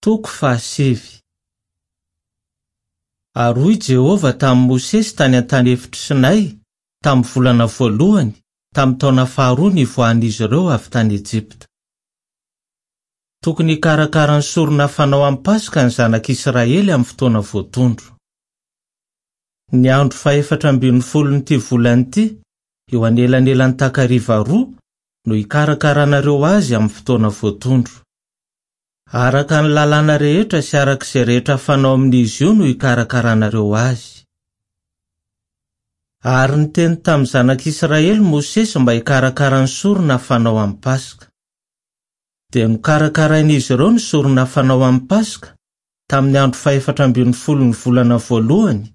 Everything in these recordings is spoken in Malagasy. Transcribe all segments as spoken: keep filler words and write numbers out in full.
Toko fahasivy. Ary hoy Jehovah tamin'i Mosesy tany an-tany efitr'i Sinay, tamin'ny volana voalohany, tamin'ny taona faharoa nivoahan'izy ireo avy tany Ejipta. Tokony hikarakara ny sorona fanao amin'ny Paska ny zanak'Israely amin'ny fotoana voatondro. Ny andro fahefatra ambin'ny folon'ity volana ity, eo anelanelan'ny takariva roa, no hikarakaranareo azy amin'ny fotoana voatondro. Araka ny lalàna rehetra sy araka izay rehetra fanao amin'izy io no hikarakaranareo azy. Ary niteny tamin'ny zanak'Israely Mosesy mba hikarakara ny sorona fanao amin'ny Paska. Dia nokarakarain'izy ireo ny sorona fanao amin'ny Paska tamin'ny andro fahefatra ambin'ny folon'ny volana voalohany,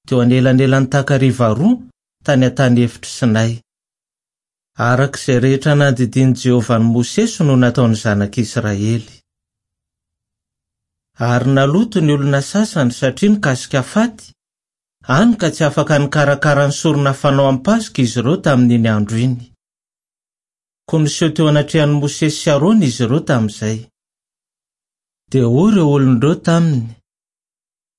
teo anelanelan'ny takariva roa tany an-tany efitr'i Sinay. Araka izay rehetra nandidian'i Jehovah an'i Mosesy no nataon'ny zanak'Israely. Ary naloto ny olona sasany satria nikasika faty, hany ka tsy afaka nikarakara ny sorona fanao amin'ny Paska izy ireo tamin'iny andro iny. Koa niseho teo anatrehan'i Mosesy sy Arona izy ireo tamin'izay. Dia hoy ireo olona ireo taminy: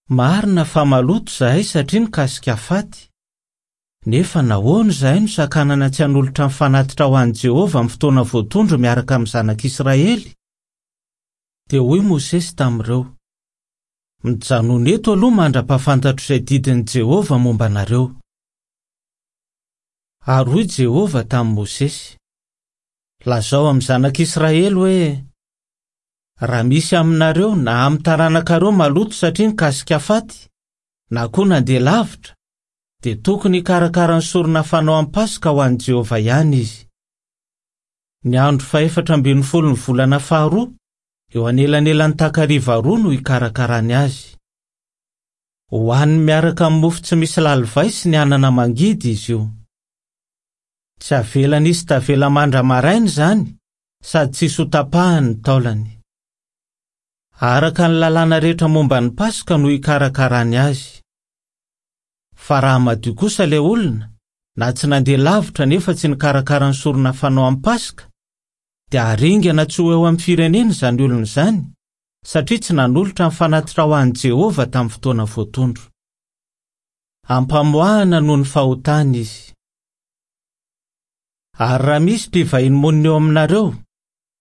Marina fa maloto izahay satria nikasika faty. Nefa nahoana izahay no sakanana tsy hanolotra ny fanatitra ho an'i Jehovah amin'ny fotoana voatondro miaraka amin'ny zanak'Israely? Dia hoy Mosesy tamin'ireo: Mijanona eto aloha mandra-pahafantatro izay didin'i Jehovah momba anareo. Ary hoy Jehovah tamin'i Mosesy: Lazao amin'ny zanak'Israely hoe: Raha misy aminareo na amin'ny taranakareo maloto satria nikasika faty, na koa nandeha lavitra, dia tokony hikarakara ny sorona fanao amin'ny Paska ho an'i Jehovah ihany izy. Ny andro fahefatra ambin'ny folon'ny volana faharoa, eo anelanelan'ny takariva roa no hikarakarany azy. Hohaniny miaraka amin'ny mofo tsy misy lalivay sy ny anana mangidy izy io. Tsy avelany hisy tavela mandra-maraina izany, sady tsy hisy hotapahany ny taolany. Araka ny lalàna rehetra momba ny Paska no hikarakarany azy. Fa raha madio kosa ilay olona, na tsy nandeha lavitra nefa tsy nikarakara ny sorona fanao amin'ny Paska, dia haringana tsy ho eo amin'ny firenena izany olona izany, satria tsy nanolotra ny fanatitra ho an'i Jehovah tamin'ny fotoana voatondro. Ampamoahana noho ny fahotany izy. Ary raha misy mpivahiny monina eo aminareo,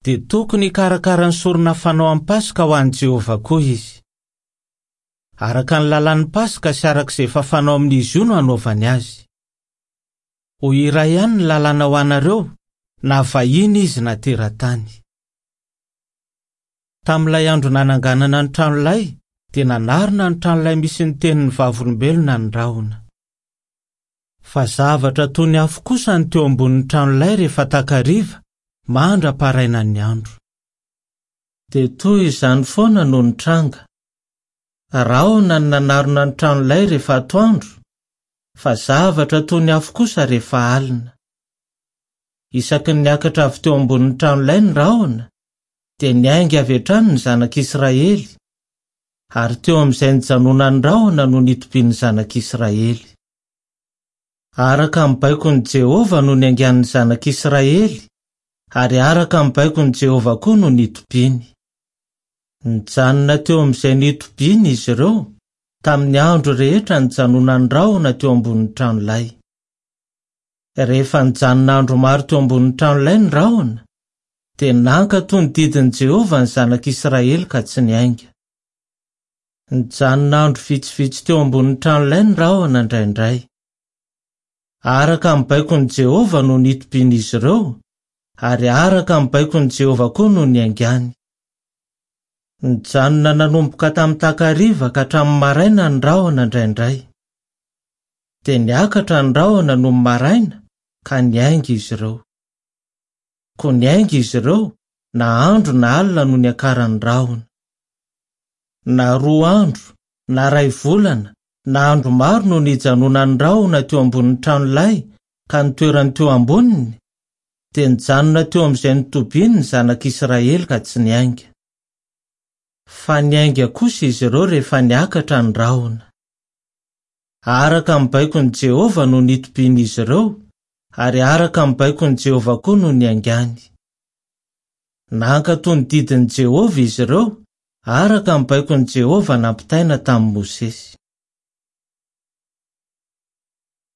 dia tokony hikarakara ny sorona fanao amin'ny Paska ho an'i Jehovah koa izy. Araka ny lalàn'ny Paska sy araka izay efa fanao amin'izy io no hanaovany azy. Ho iray ihany ny lalàna ho anareo, na vahiny izy na teratany. Tamin'ilay andro nananganana ny tranolay, dia nanarona ny tranolay misy ny tenin'ny vavolombelona ny rahona. Fa zavatra toy ny afo kosa ny teo ambonin'ny tranolay rehefa takariva, mandra-parainan'ny andro. Dia toy izany foana no nitranga. Rahona no nanarona ny tranolay rehefa atoandro, fa zavatra toy ny afo kosa rehefa alina. Isaky ny niakatra avy teo ambonin'ny tranolay ny rahona, dia niainga avy hatrany ny zanak'Israely, ary teo amin'izay nijanonan'ny rahona no nitobian'ny zanak'Israely. Araka ny baikon'i Jehovah no niaingan'ny zanak'Israely, ary araka ny baikon'i Jehovah koa no nitobiany. Nijanona teo amin'izay nitobiany izy ireo, tamin'ny andro rehetra nijanonan'ny rahona teo ambonin'ny tranolay. Rehefa nijanona andro maro teo ambonin'ny tranolay ny rahona, dia nankatò ny didin'i Jehovah ny zanak'Israely ka tsy niainga. Nijanona andro vitsivitsy teo ambonin'ny tranolay ny rahona indraindray. Araka ny baikon'i Jehovah no nitobian'izy ireo, ary araka ny baikon'i Jehovah koa no niaingany. Nijanona nanomboka tamin'ny takariva ka hatramin'ny maraina ny rahona indraindray. Dia niakatra ny rahona nony maraina ka niainga izy ireo. Koa niainga izy ireo na andro na alina no niakaran'ny rahona. Na roa andro, na iray volana, na andro maro no nijanonan'ny rahona teo ambonin'ny tranolay ka nitoerany teo amboniny, dia nijanona teo amin'izay nitobiany ny zanak'Israely ka tsy niainga. Fa niainga kosa izy ireo rehefa niakatra ny rahona. Araka ny baikon'i Jehovah no nitobian'izy ireo, ary araka ny baikon'i Jehovah koa no niaingany. Nankatò ny didin'i Jehovah izy ireo, araka ny baikon'i Jehovah nampitaina tamin'i Mosesy.